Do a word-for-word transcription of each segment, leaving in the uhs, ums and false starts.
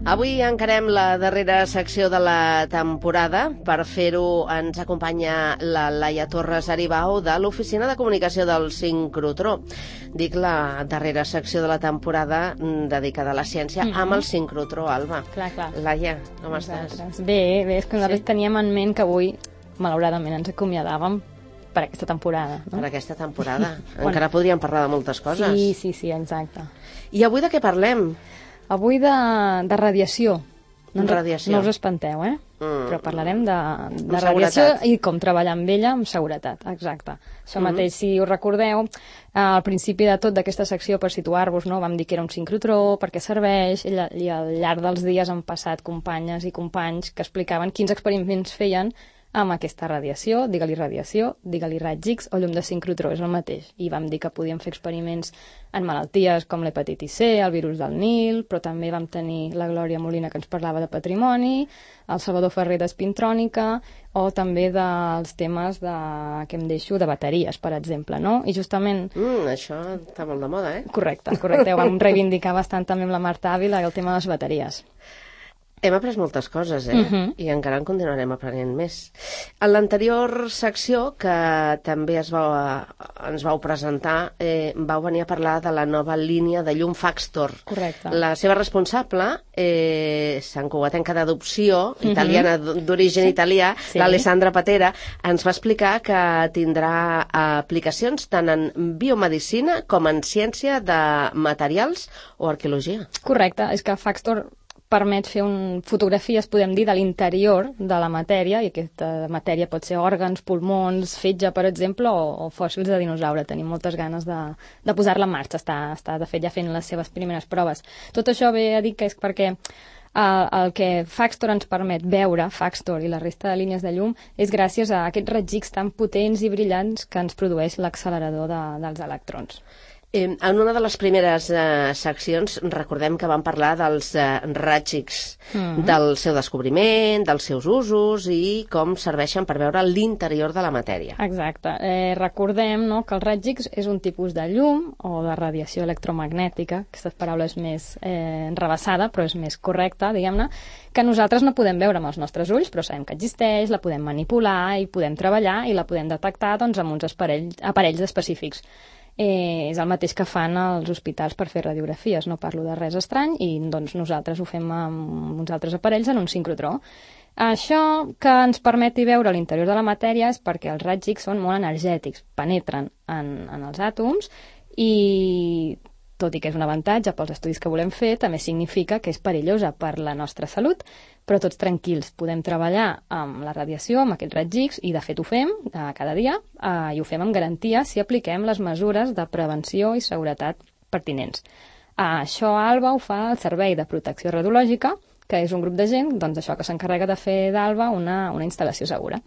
Avui encarem la darrera secció de la temporada. Per fer-ho ens acompanya la Laia Torres Aribau de l'Oficina de Comunicació del Sincrotró. Dic la darrera secció de la temporada dedicada a la ciència mm-hmm. amb el Sincrotró, Alba. Clar, clar. Laia, com estàs? Bé, bé, és que nosaltres sí. teníem en ment que avui, malauradament, ens acomiadàvem per aquesta temporada. No? Per aquesta temporada. Encara podríem parlar de moltes coses. Sí, sí, sí, exacte. I avui de què parlem? Avui de, de radiació. No, radiació. No us espanteu, eh? Mm. Però parlarem de, de radiació i com treballar amb ella amb seguretat, exacte. Això mm-hmm. mateix, si us recordeu, al principi de tot d'aquesta secció, per situar-vos, no, vam dir que era un sincrotró, per què serveix, i, i al llarg dels dies han passat companyes i companys que explicaven quins experiments feien amb aquesta radiació, digue-li radiació, digue-li raigs X o llum de sincrotró, és el mateix. I vam dir que podíem fer experiments en malalties com l'hepatitis C, el virus del Nil, però també vam tenir la Glòria Molina que ens parlava de patrimoni, el Salvador Ferrer d'espintrònica, o també dels temes de, que em deixo, de bateries, per exemple, no? I justament... Mm, això està molt de moda, eh? Correcte, correcte. Ho vam reivindicar bastant també amb la Marta Ávila, el tema de les bateries. Hem après moltes coses, eh? Uh-huh. I encara en continuarem aprenent més. En l'anterior secció, que també es va, ens vau presentar, eh, vau venir a parlar de la nova línia de llum Faxtor. Correcte. La seva responsable, eh, Sant Cugatenca d'adopció, uh-huh. italiana, d'origen sí. italià, sí. l'Alessandra Patera, ens va explicar que tindrà aplicacions tant en biomedicina com en ciència de materials o arqueologia. Correcte, és que Faxtor permet fer un, fotografies, podem dir, de l'interior de la matèria, i aquesta matèria pot ser òrgans, pulmons, fetge, per exemple, o, o fòssils de dinosaure. Tenim moltes ganes de, de posar-la en marxa. Està, està, de fet, ja fent les seves primeres proves. Tot això ve a dir que és perquè el, el que Faxtor ens permet veure, Faxtor i la resta de línies de llum, és gràcies a aquests raigs X tan potents i brillants que ens produeix l'accelerador de, dels electrons. Eh, en una de les primeres eh, seccions recordem que vam parlar dels eh, raigs X, mm-hmm. del seu descobriment, dels seus usos i com serveixen per veure l'interior de la matèria. Exacte. Eh, recordem no, que el raig X és un tipus de llum o de radiació electromagnètica, aquesta paraula és més eh, enrevessada, però és més correcta, diguem-ne, que nosaltres no podem veure amb els nostres ulls, però sabem que existeix, la podem manipular i podem treballar i la podem detectar doncs, amb uns aparells, aparells específics. Eh, és el mateix que fan als hospitals per fer radiografies, no parlo de res estrany, i doncs nosaltres ho fem amb uns altres aparells en un sincrotró. Això que ens permeti veure l'interior de la matèria és perquè els raigs X són molt energètics, penetren en, en els àtoms i, tot i que és un avantatge pels estudis que volem fer, també significa que és perillosa per la nostra salut, però tots tranquils, podem treballar amb la radiació, amb aquests raigs X, i de fet ho fem eh, cada dia, eh, i ho fem amb garantia si apliquem les mesures de prevenció i seguretat pertinents. Eh, això, Alba, ho fa el Servei de Protecció Radiològica, que és un grup de gent doncs, això que s'encarrega de fer d'Alba una, una instal·lació segura.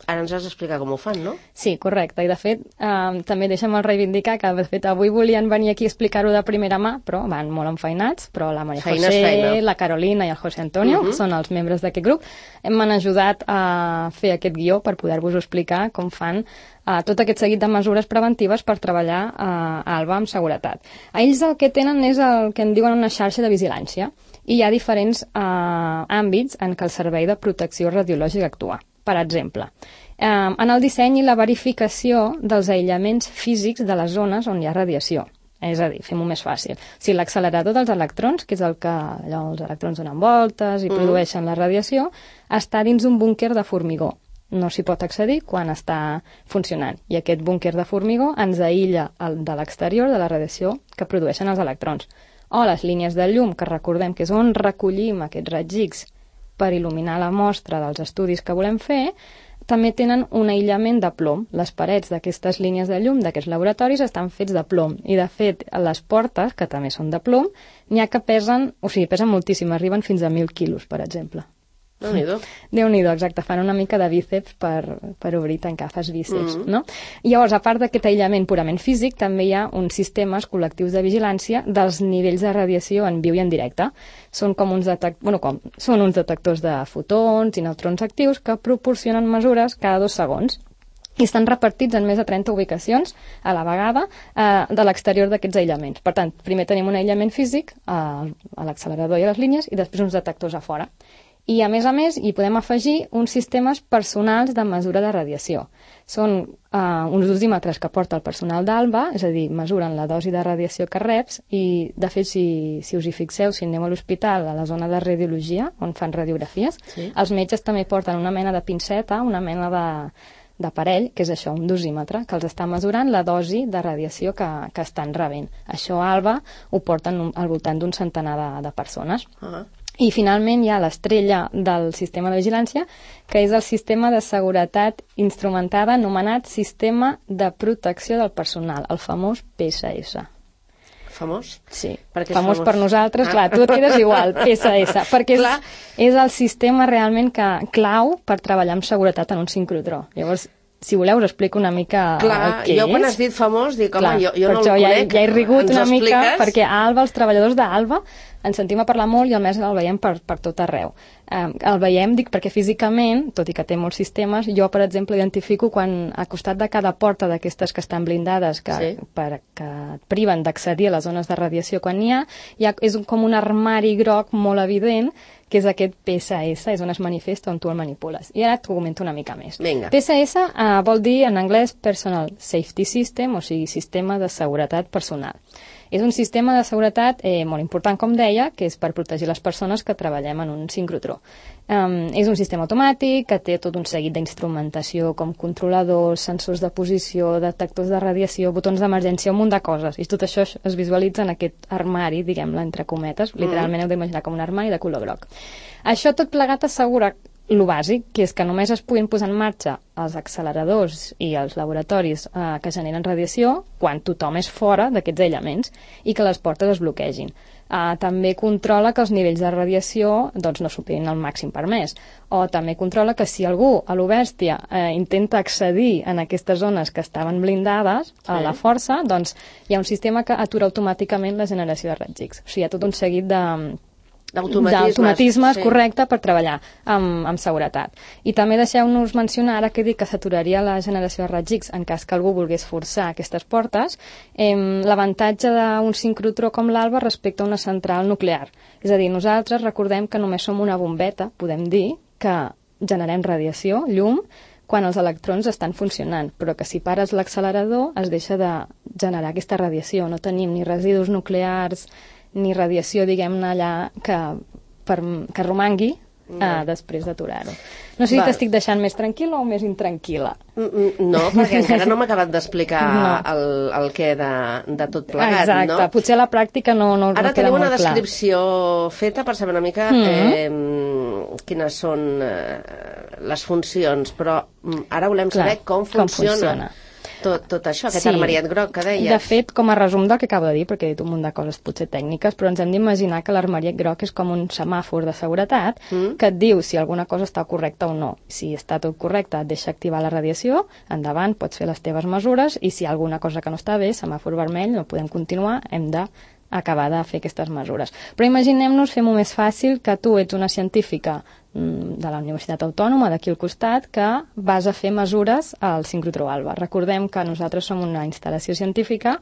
Ara ens has d'explicar com ho fan, no? Sí, correcte. I, de fet, eh, també deixa'm el reivindicar que, de fet, avui volien venir aquí a explicar-ho de primera mà, però van molt enfeinats, però la Maria feina José, feina. la Carolina i el José Antonio, uh-huh. que són els membres d'aquest grup, m'han ajudat a fer aquest guió per poder-vos explicar com fan eh, tot aquest seguit de mesures preventives per treballar eh, a Alba amb seguretat. A ells el que tenen és el que en diuen una xarxa de vigilància, i hi ha diferents eh, àmbits en què el Servei de Protecció Radiològica actua. Per exemple, eh, en el disseny i la verificació dels aïllaments físics de les zones on hi ha radiació. És a dir, fem-ho més fàcil. O sigui, l'accelerador dels electrons, que és el que allò, els electrons donen voltes i mm. produeixen la radiació, està dins un búnquer de formigó. No s'hi pot accedir quan està funcionant. I aquest búnquer de formigó ens aïlla el, de l'exterior de la radiació que produeixen els electrons. O les línies de llum, que recordem que és on recollim aquests raigs X per il·luminar la mostra dels estudis que volem fer, també tenen un aïllament de plom. Les parets d'aquestes línies de llum d'aquests laboratoris estan fets de plom. I, de fet, les portes, que també són de plom, n'hi ha que pesen, o sigui, pesen moltíssim, arriben fins a mil quilos, per exemple. Déu-n'hi-do. Déu-n'hi-do, exacte. Fan una mica de bíceps per, per obrir i tancar, fas bíceps, mm. no? I llavors, a part d'aquest aïllament purament físic, també hi ha uns sistemes col·lectius de vigilància dels nivells de radiació en viu i en directe. Són com uns, detect... bueno, com... Són uns detectors de fotons i neutrons actius que proporcionen mesures cada dos segons i estan repartits en més de trenta ubicacions a la vegada eh, de l'exterior d'aquests aïllaments. Per tant, primer tenim un aïllament físic a, a l'accelerador i a les línies i després uns detectors a fora. I, a més a més, hi podem afegir uns sistemes personals de mesura de radiació. Són eh, uns dosímetres que porta el personal d'Alba, és a dir, mesuren la dosi de radiació que reps i, de fet, si, si us hi fixeu, si aneu a l'hospital, a la zona de radiologia, on fan radiografies, sí. Els metges també porten una mena de pinceta, una mena de d'aparell, que és això, un dosímetre, que els està mesurant la dosi de radiació que, que estan rebent. Això a Alba ho porten al voltant d'un centenar de, de persones. Uh-huh. I finalment hi ha l'estrella del sistema de vigilància, que és el sistema de seguretat instrumentada anomenat Sistema de Protecció del Personal, el famós P S S. Famós? Sí, famós, famós per nosaltres, ah. Clar, tu et quedes igual, P S S, perquè és, és el sistema realment que clau per treballar amb seguretat en un sincrotró. Llavors, si voleu, us explico una mica clar, el que jo és. quan has dit famós, dic, home, clar, jo, jo no el ja, conec. Ja he rigut ens una mica, expliques? perquè a Alba, els treballadors d'Alba, ens sentim a parlar molt i al mes el veiem per, per tot arreu. Um, el veiem, dic, perquè físicament, tot i que té molts sistemes, jo, per exemple, identifico quan a costat de cada porta d'aquestes que estan blindades, que, sí. per, que et priven d'accedir a les zones de radiació quan n'hi ha, hi ha és un, com un armari groc molt evident, que és aquest P S S, és on es manifesta, on tu el manipules. I ara t'ho comento una mica més. Vinga. P S S uh, vol dir en anglès Personal Safety System, o sigui, sistema de seguretat personal. És un sistema de seguretat eh, molt important, com deia, que és per protegir les persones que treballem en un sincrotró. Um, és un sistema automàtic que té tot un seguit d'instrumentació com controladors, sensors de posició, detectors de radiació, botons d'emergència, un munt de coses. I tot això es visualitza en aquest armari, diguem-ne, entre cometes. Literalment heu d'imaginar com un armari de color groc. Això tot plegat assegura lo bàsic, que és que només es puguin posar en marxa els acceleradors i els laboratoris eh, que generen radiació quan tothom és fora d'aquests aïllaments i que les portes es bloquegin. Eh, també controla que els nivells de radiació doncs, no superin el màxim permès. O també controla que si algú a l'Obèstia eh, intenta accedir en aquestes zones que estaven blindades a la força, doncs hi ha un sistema que atura automàticament la generació de raigs X. O sigui, hi ha tot un seguit de d'automatismes, sí. Correcte, per treballar amb, amb seguretat. I també deixeu-nos mencionar, ara que dic que s'aturaria la generació de raigs X en cas que algú volgués forçar aquestes portes, eh, l'avantatge d'un sincrotró com l'Alba respecte a una central nuclear. És a dir, nosaltres recordem que només som una bombeta, podem dir, que generem radiació, llum, quan els electrons estan funcionant, però que si pares l'accelerador es deixa de generar aquesta radiació. No tenim ni residus nuclears ni radiació, diguem-ne, allà que, per, que romangui no. eh, després d'aturar-ho. No sé si t'estic deixant més tranquil·la o més intranquil·la. No, perquè encara no m'ha acabat d'explicar no. el, el què de, de tot plegat, exacte. No? Exacte, potser a la pràctica no, no, Ara no queda molt clar. Ara tenim una descripció feta per saber una mica mm-hmm. eh, quines són eh, les funcions, però ara volem clar, saber com funciona. Com funciona. Tot, tot això, aquest sí. armariet groc que deies. De fet, com a resum del que acabo de dir, perquè he dit un munt de coses potser tècniques, però ens hem d'imaginar que l'armariet groc és com un semàfor de seguretat mm. que et diu si alguna cosa està correcta o no. Si està tot correcte, et deixa activar la radiació, endavant, pots fer les teves mesures, i si hi ha alguna cosa que no està bé, semàfor vermell, no podem continuar, hem de acabar de fer aquestes mesures. Però imaginem-nos, fem-ho més fàcil, que tu ets una científica de la Universitat Autònoma d'aquí al costat que vas a fer mesures al sincrotró Alba. Recordem que nosaltres som una instal·lació científica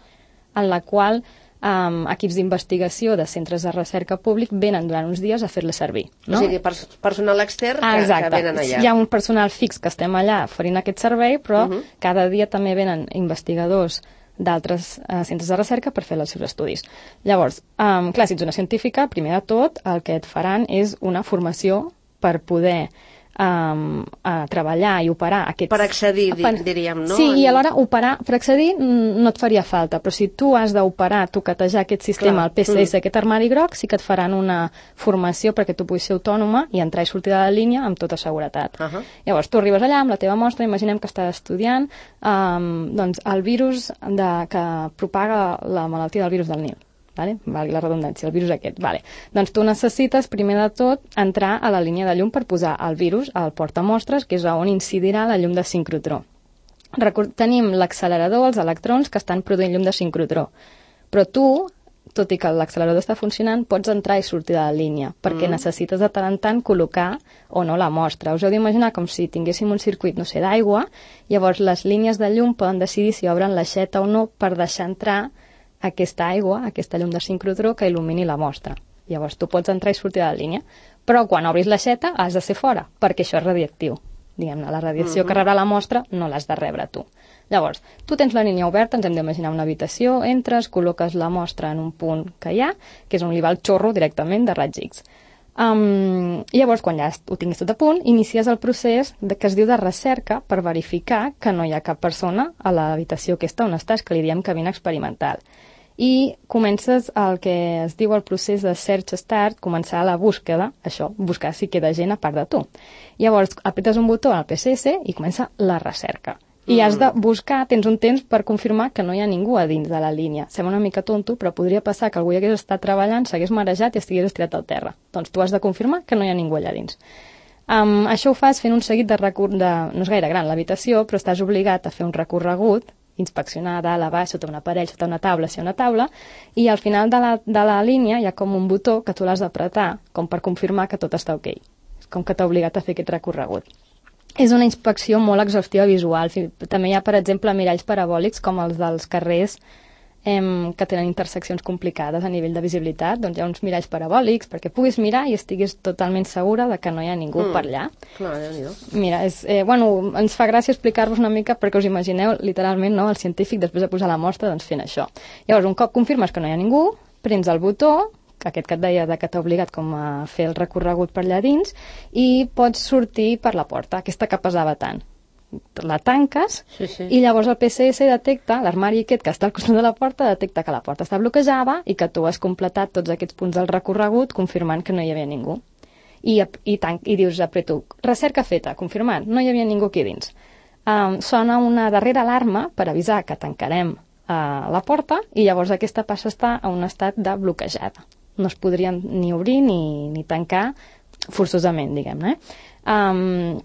en la qual um, equips d'investigació de centres de recerca públic venen durant uns dies a fer-la servir. No? O sigui, pers personal extern que, ah, que venen allà. Hi ha un personal fix que estem allà oferint aquest servei, però uh -huh. cada dia també venen investigadors d'altres uh, centres de recerca per fer els seus estudis. Llavors, um, clar, si ets una científica, primer de tot, el que et faran és una formació per poder um, a treballar i operar aquests... Per accedir, per... diríem, no? Sí, i alhora operar, per accedir no et faria falta, però si tu has d'operar, toquetejar aquest sistema, clar. El P S S, mm. aquest armari groc, sí que et faran una formació perquè tu puguis ser autònoma i entrar i sortir de la línia amb tota seguretat. Uh -huh. Llavors, tu arribes allà amb la teva mostra, imaginem que estàs estudiant um, doncs, el virus de, que propaga la malaltia del virus del Nil. vale? Valgui la redundància, el virus aquest. Vale. Doncs tu necessites, primer de tot, entrar a la línia de llum per posar el virus al portamostres, que és on incidirà la llum de sincrotró. Record, tenim l'accelerador, els electrons, que estan produint llum de sincrotró. Però tu, tot i que l'accelerador està funcionant, pots entrar i sortir de la línia, perquè mm. necessites de tant en tant col·locar o no la mostra. Us heu d'imaginar com si tinguéssim un circuit, no sé, d'aigua, llavors les línies de llum poden decidir si obren l'aixeta o no per deixar entrar aquesta aigua, aquesta llum de sincrotró que il·lumini la mostra. Llavors tu pots entrar i sortir de la línia, però quan obris l'aixeta has de ser fora, perquè això és radioactiu. Diguem-ne, la radiació mm-hmm. que rebrà la mostra no l'has de rebre tu. Llavors, tu tens la línia oberta, ens hem d'imaginar una habitació, entres, col·loques la mostra en un punt que hi ha, que és on li va el xorro directament de raigs X. Um, llavors, quan ja ho tinguis tot a punt, inicies el procés de, que es diu de recerca per verificar que no hi ha cap persona a l'habitació aquesta on estàs, que li diem cabina experimental. I comences el que es diu el procés de search start, començar la búsqueda, això, buscar si queda gent a part de tu. Llavors, apretes un botó al P C S i comença la recerca. I has de buscar, tens un temps per confirmar que no hi ha ningú a dins de la línia. Sembla una mica tonto, però podria passar que algú hi hagués estat treballant, s'hagués marejat i estigués estirat al terra. Doncs tu has de confirmar que no hi ha ningú allà dins. Um, això ho fas fent un seguit de recorregut, de... no és gaire gran l'habitació, però estàs obligat a fer un recorregut, inspeccionar dalt, a baix, sota un aparell, sota una taula, si hi ha una taula, i al final de la, de la línia hi ha com un botó que tu l'has d'apretar, com per confirmar que tot està ok. És com que t'ha obligat a fer aquest recorregut. És una inspecció molt exhaustiva visual. També hi ha, per exemple, miralls parabòlics com els dels carrers em, que tenen interseccions complicades a nivell de visibilitat. Doncs hi ha uns miralls parabòlics perquè puguis mirar i estiguis totalment segura de que no hi ha ningú mm. per allà. Clar, Déu-n'hi-do. Mira, és, eh, bueno, ens fa gràcia explicar-vos una mica perquè us imagineu, literalment, no, el científic després de posar la mostra doncs fent això. Llavors, un cop confirmes que no hi ha ningú, prens el botó, aquest que et deia de que t'ha obligat com a fer el recorregut per allà dins, i pots sortir per la porta, aquesta que pesava tant. La tanques sí, sí. i llavors el P C S detecta, l'armari aquest que està al costat de la porta, detecta que la porta està bloquejada i que tu has completat tots aquests punts del recorregut confirmant que no hi havia ningú. I, i, tanc, i dius, apreto, recerca feta, confirmant, no hi havia ningú aquí dins. Um, sona una darrera alarma per avisar que tancarem uh, la porta i llavors aquesta passa a estar en un estat de bloquejada. No es podrien ni obrir ni, ni tancar forçosament, diguem-ne. Um,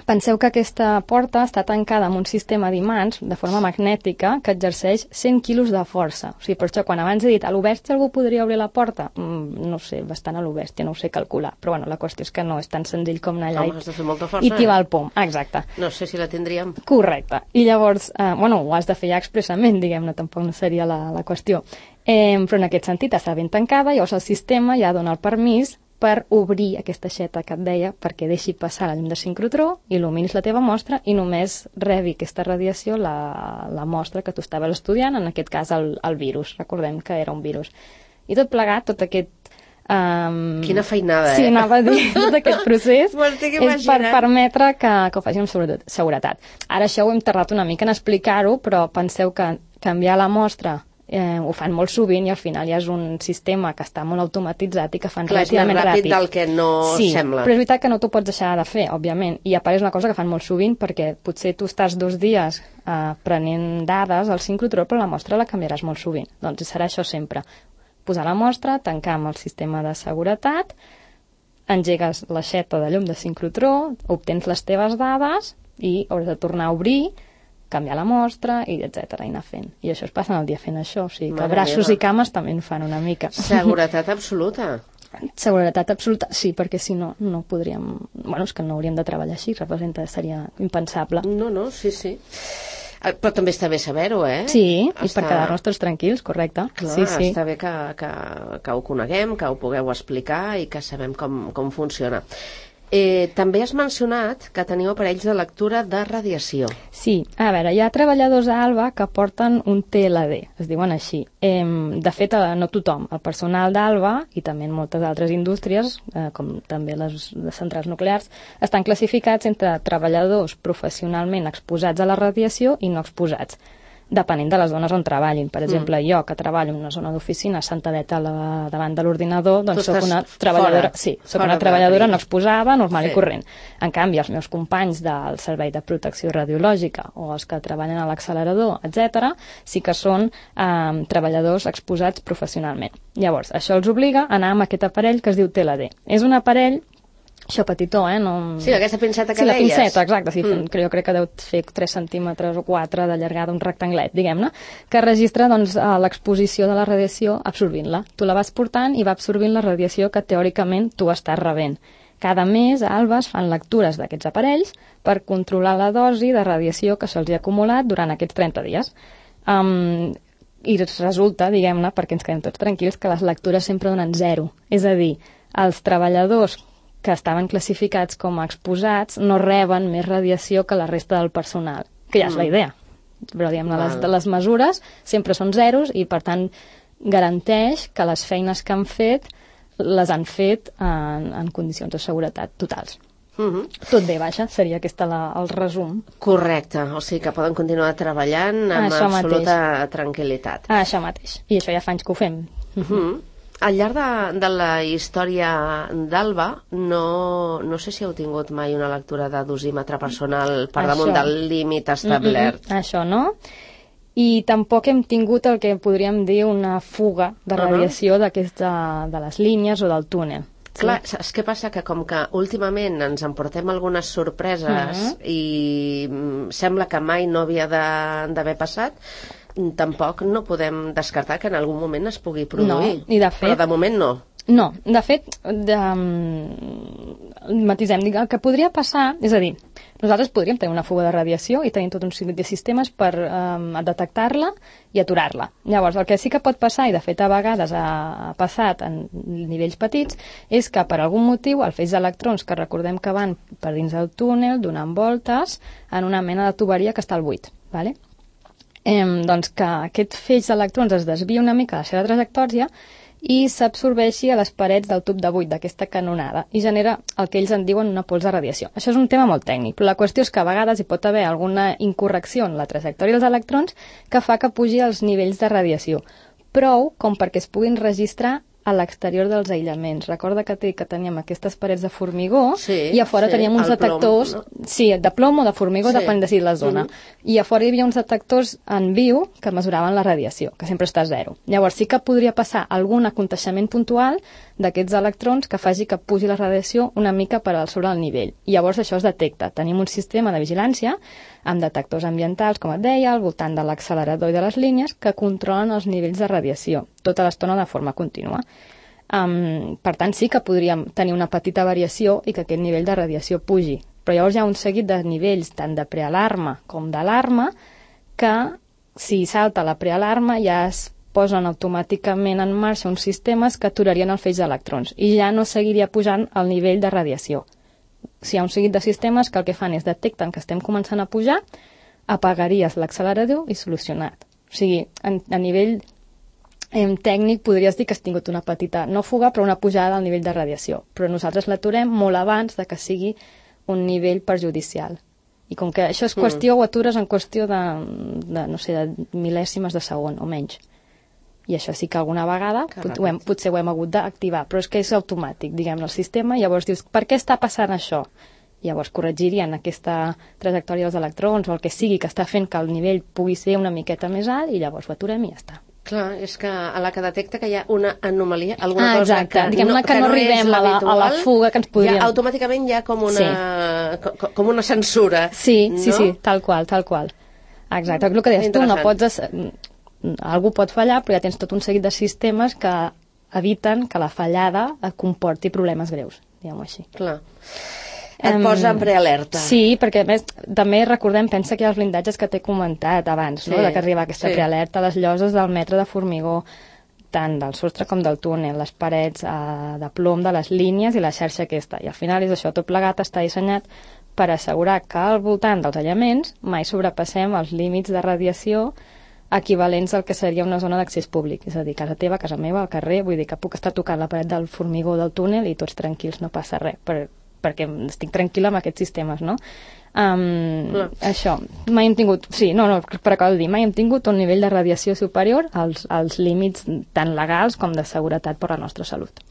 penseu que aquesta porta està tancada amb un sistema d'imants de forma magnètica que exerceix cent quilos de força. O sigui, per això, quan abans he dit a l'Obèstia algú podria obrir la porta, mm, no sé, bastant a l'Obèstia, no ho sé calcular, però bueno, la qüestió és que no és tan senzill com anar allà Home, has de fer molta força, i t'hi va eh? el pom. Exacte. No sé si la tindríem. Correcte. I llavors, eh, bueno, ho has de fer ja expressament, diguem-ne, tampoc no seria la, la qüestió. Eh, però en aquest sentit està ben tancada, llavors el sistema ja dona el permís per obrir aquesta aixeta que et deia perquè deixi passar la llum de sincrotró, il·luminis la teva mostra i només rebi aquesta radiació la, la mostra que tu estaves estudiant, en aquest cas el, el virus, recordem que era un virus. I tot plegat, tot aquest... Um, Quina feinada, eh? Sí, anava a dir, tot aquest procés és per permetre que, que ho faci amb seguretat. Ara això ho hem tardat una mica en explicar-ho, però penseu que canviar la mostra Eh, ho fan molt sovint i al final ja és un sistema que està molt automatitzat i que fan Clar, relativament ràpid. Clar, és més ràpid del que no sí, sembla. Però és veritat que no t'ho pots deixar de fer, òbviament. I a part és una cosa que fan molt sovint perquè potser tu estàs dos dies eh, prenent dades al sincrotró, però la mostra la canviaràs molt sovint. Doncs serà això sempre. Posar la mostra, tancar amb el sistema de seguretat, engegues l'aixeta de llum de sincrotró, obtens les teves dades i hauràs de tornar a obrir, canviar la mostra, i etcètera, i anar fent. I això es passa el dia fent això, o sigui que Mare braços meva. i cames també en fan una mica. Seguretat absoluta. Seguretat absoluta, sí, perquè si no, no podríem... Bueno, és que no hauríem de treballar així, representa, seria impensable. No, no, sí, sí. Però també està bé saber-ho, eh? Sí, està... i per quedar-nos tots tranquils, correcte. Clar, sí, sí. està bé que, que, que ho coneguem, que ho pugueu explicar i que sabem com, com funciona. Eh, també has mencionat que teniu aparells de lectura de radiació. Sí, a veure, hi ha treballadors a ALBA que porten un T L D, es diuen així. Eh, de fet, no tothom. El personal d'ALBA, i també en moltes altres indústries, eh, com també les, les centrals nuclears, estan classificats entre treballadors professionalment exposats a la radiació i no exposats. depenent de les zones on treballin. Per exemple, mm. jo, que treballo en una zona d'oficina sentadeta la, davant de l'ordinador, doncs soc una treballadora, fora, sí, soc una treballadora no exposada, normal sí. i corrent. En canvi, els meus companys del Servei de Protecció Radiològica o els que treballen a l'accelerador, etcètera, sí que són eh, treballadors exposats professionalment. Llavors, això els obliga a anar amb aquest aparell que es diu T L D. És un aparell això petitó, eh? No... Sí, aquesta pinceta que sí, deies. Sí, la pinceta, exacte. Sí, mm. Jo crec que deu fer tres centímetres o quatre de llargada, un rectanglet, diguem-ne, que registra doncs, l'exposició de la radiació absorbint-la. Tu la vas portant i va absorbint la radiació que teòricament tu estàs rebent. Cada mes a Albes fan lectures d'aquests aparells per controlar la dosi de radiació que se'ls ha acumulat durant aquests trenta dies. Um, I resulta, diguem-ne, perquè ens quedem tots tranquils, que les lectures sempre donen zero. És a dir, els treballadors que estaven classificats com a exposats no reben més radiació que la resta del personal, que ja és la idea. Però, diguem-ne, les, les mesures sempre són zeros i, per tant, garanteix que les feines que han fet les han fet en, en condicions de seguretat totals. Uh-huh. Tot bé, vaja, seria aquesta la, el resum. Correcte, o sigui que poden continuar treballant amb això absoluta mateix. tranquil·litat. Ah, això mateix, i això ja fa anys que ho fem. Uh-huh. Al llarg de, de la història d'Alba, no, no sé si heu tingut mai una lectura de dosímetre personal per això. damunt del límit establert. Mm-mm, això no. I tampoc hem tingut el que podríem dir una fuga de radiació uh-huh. d'aquesta, de les línies o del túnel. Sí. Clar, saps què passa? Que com que últimament ens emportem algunes sorpreses uh-huh. i sembla que mai no havia d'haver passat, tampoc no podem descartar que en algun moment es pugui produir. No, i de fet... Però de moment no. No, de fet, de, um, matisem, el que podria passar, és a dir, nosaltres podríem tenir una fuga de radiació i tenir tot un seguit de sistemes per um, detectar-la i aturar-la. Llavors, el que sí que pot passar, i de fet a vegades ha passat en nivells petits, és que per algun motiu el feix d'electrons, que recordem que van per dins del túnel donant voltes en una mena de tuberia que està al buit, ¿vale? Eh, doncs que aquest feix d'electrons es desvia una mica de la seva trajectòria i s'absorbeixi a les parets del tub de buit d'aquesta canonada i genera el que ells en diuen una pols de radiació. Això és un tema molt tècnic, però la qüestió és que a vegades hi pot haver alguna incorrecció en la trajectòria dels electrons que fa que pugi els nivells de radiació, prou com perquè es puguin registrar a l'exterior dels aïllaments. Recorda que, que teníem aquestes parets de formigó sí, i a fora sí, teníem uns detectors... Plom, no? Sí, de plom o de formigó, sí. Depèn de si la zona. Mm-hmm. I a fora hi havia uns detectors en viu que mesuraven la radiació, que sempre està a zero. Llavors sí que podria passar algun aconteixement puntual d'aquests electrons que faci que pugi la radiació una mica per al sobre el nivell. I llavors això es detecta. Tenim un sistema de vigilància amb detectors ambientals, com et deia, al voltant de l'accelerador i de les línies, que controlen els nivells de radiació, tota l'estona de forma contínua. Um, per tant, sí que podríem tenir una petita variació i que aquest nivell de radiació pugi. Però llavors hi ha un seguit de nivells, tant de prealarma com d'alarma, que si salta la prealarma ja es posen automàticament en marxa uns sistemes que aturarien el feix d'electrons i ja no seguiria pujant el nivell de radiació. Si hi ha un seguit de sistemes que el que fan és detecten que estem començant a pujar, apagaries l'accelerador i solucionat. O sigui, a, a nivell eh, tècnic podries dir que has tingut una petita, no fuga, però una pujada al nivell de radiació. Però nosaltres l'aturem molt abans de que sigui un nivell perjudicial. I com que això és qüestió, mm. ho atures en qüestió de, de, no sé, de mil·lèsimes de segon o menys. I això sí que alguna vegada pot, ho hem, potser ho hem hagut d'activar, però és que és automàtic, diguem-ne, el sistema, i llavors dius, per què està passant això? Llavors corregirien aquesta trajectòria dels electrons o el que sigui que està fent que el nivell pugui ser una miqueta més alt i llavors ho aturem i ja està. Clar, és que a la que detecta que hi ha una anomalia, alguna ah, cosa exacte. que, Diguem no, que, que no arribem a la, a la fuga que ens podríem... Ja, automàticament hi ha com una, sí. com, com una censura. Sí, no? sí, sí, tal qual, tal qual. Exacte, el que deies tu, no pots... Algú pot fallar, però ja tens tot un seguit de sistemes que eviten que la fallada comporti problemes greus, diguem-ho així. Clar. Et um, posa en prealerta. Sí, perquè a més també recordem, pensa que hi ha els blindatges que t'he comentat abans, sí, no? De que arriba aquesta sí. prealerta, les lloses del metre de formigó, tant del sostre com del túnel, les parets eh, de plom de les línies i la xarxa aquesta. I al final és això, tot plegat està dissenyat per assegurar que al voltant dels aïllaments mai sobrepassem els límits de radiació equivalents al que seria una zona d'accés públic, és a dir, casa teva, casa meva, al carrer, vull dir que puc estar tocant la paret del formigó del túnel i tots tranquils, no passa res, per, perquè estic tranquil·la amb aquests sistemes, no? Um, això, mai hem tingut, sí, no, no, per acabar de dir, mai hem tingut un nivell de radiació superior als, als límits tant legals com de seguretat per a la nostra salut.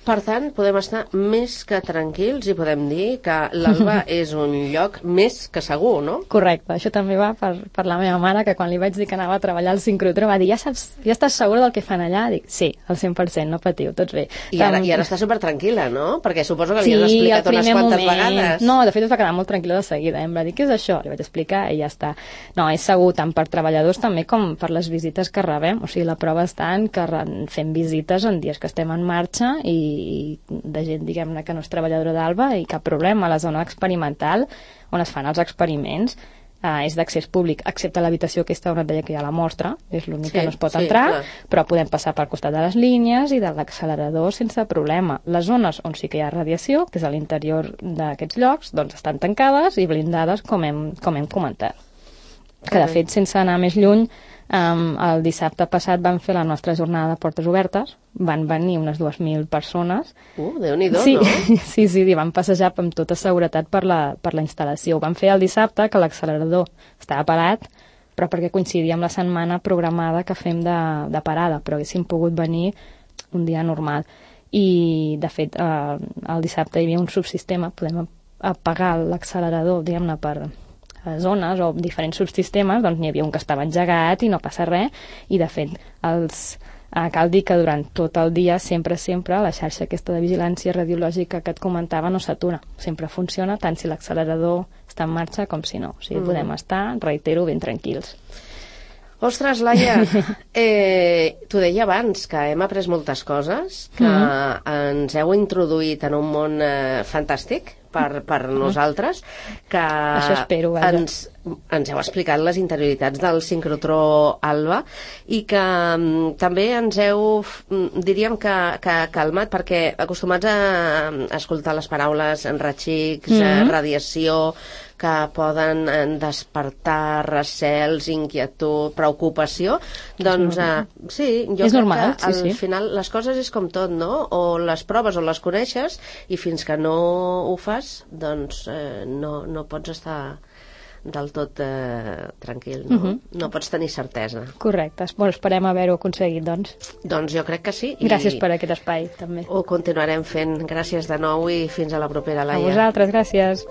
Per tant, podem estar més que tranquils i podem dir que l'Alba és un lloc més que segur, no? Correcte, això també va per, per la meva mare, que quan li vaig dir que anava a treballar al sincrotró va dir, ja saps, ja estàs segura del que fan allà? Dic, sí, al cent per cent, no patiu, tots bé. I ara, i ara està supertranquil·la, no? Perquè suposo que li sí, has explicat unes quantes moment. vegades. No, de fet es va quedar molt tranquil·la de seguida. Em va dir, què és això? Li vaig explicar i ja està. No, és segur tant per treballadors també com per les visites que rebem. O sigui, la prova està en que fem visites en dies que estem en marxa i de gent, diguem-ne, que no és treballadora d'Alba i cap problema. A la zona experimental on es fan els experiments eh, és d'accés públic, excepte l'habitació aquesta on et deia que hi ha la mostra, és l'únic sí, que no es pot sí, entrar, clar. Però podem passar pel costat de les línies i de l'accelerador sense problema. Les zones on sí que hi ha radiació, que és a l'interior d'aquests llocs, doncs estan tancades i blindades, com hem, com hem comentat. Que, de fet, sense anar més lluny, Um, el dissabte passat vam fer la nostra jornada de portes obertes, van venir unes dues mil persones. Uh, Déu-n'hi-do, sí, no? Sí, sí, sí, van passejar amb tota seguretat per la, per la instal·lació. Ho van fer el dissabte, que l'accelerador estava parat, però perquè coincidia amb la setmana programada que fem de, de parada, però haguéssim pogut venir un dia normal. I, de fet, eh, el dissabte hi havia un subsistema, podem apagar l'accelerador, diguem-ne, per zones o diferents subsistemes, doncs n'hi havia un que estava engegat i no passa res, i de fet els, eh, cal dir que durant tot el dia sempre, sempre la xarxa aquesta de vigilància radiològica que et comentava no s'atura, sempre funciona tant si l'accelerador està en marxa com si no, o sigui, mm. podem estar, reitero, ben tranquils. Ostres, Laia, eh, t'ho deia abans, que hem après moltes coses, que mm. ens heu introduït en un món eh, fantàstic per, per mm. nosaltres, que Això espero, ens, ens heu explicat les interioritats del sincrotró Alba i que um, també ens heu, diríem que, que calmat, perquè acostumats a, a escoltar les paraules enratxics, mm. eh, radiació, que poden despertar recels, inquietud, preocupació, doncs eh, sí, jo és crec normal, que al sí, sí. final les coses és com tot, no? O les proves o les coneixes i fins que no ho fas, doncs eh, no, no pots estar del tot eh, tranquil, no? Uh-huh. No pots tenir certesa. Correcte. Bueno, esperem haver-ho aconseguit, doncs. Doncs jo crec que sí. Gràcies I per aquest espai, també. Ho continuarem fent. Gràcies de nou i fins a la propera, Laia. A vosaltres, gràcies.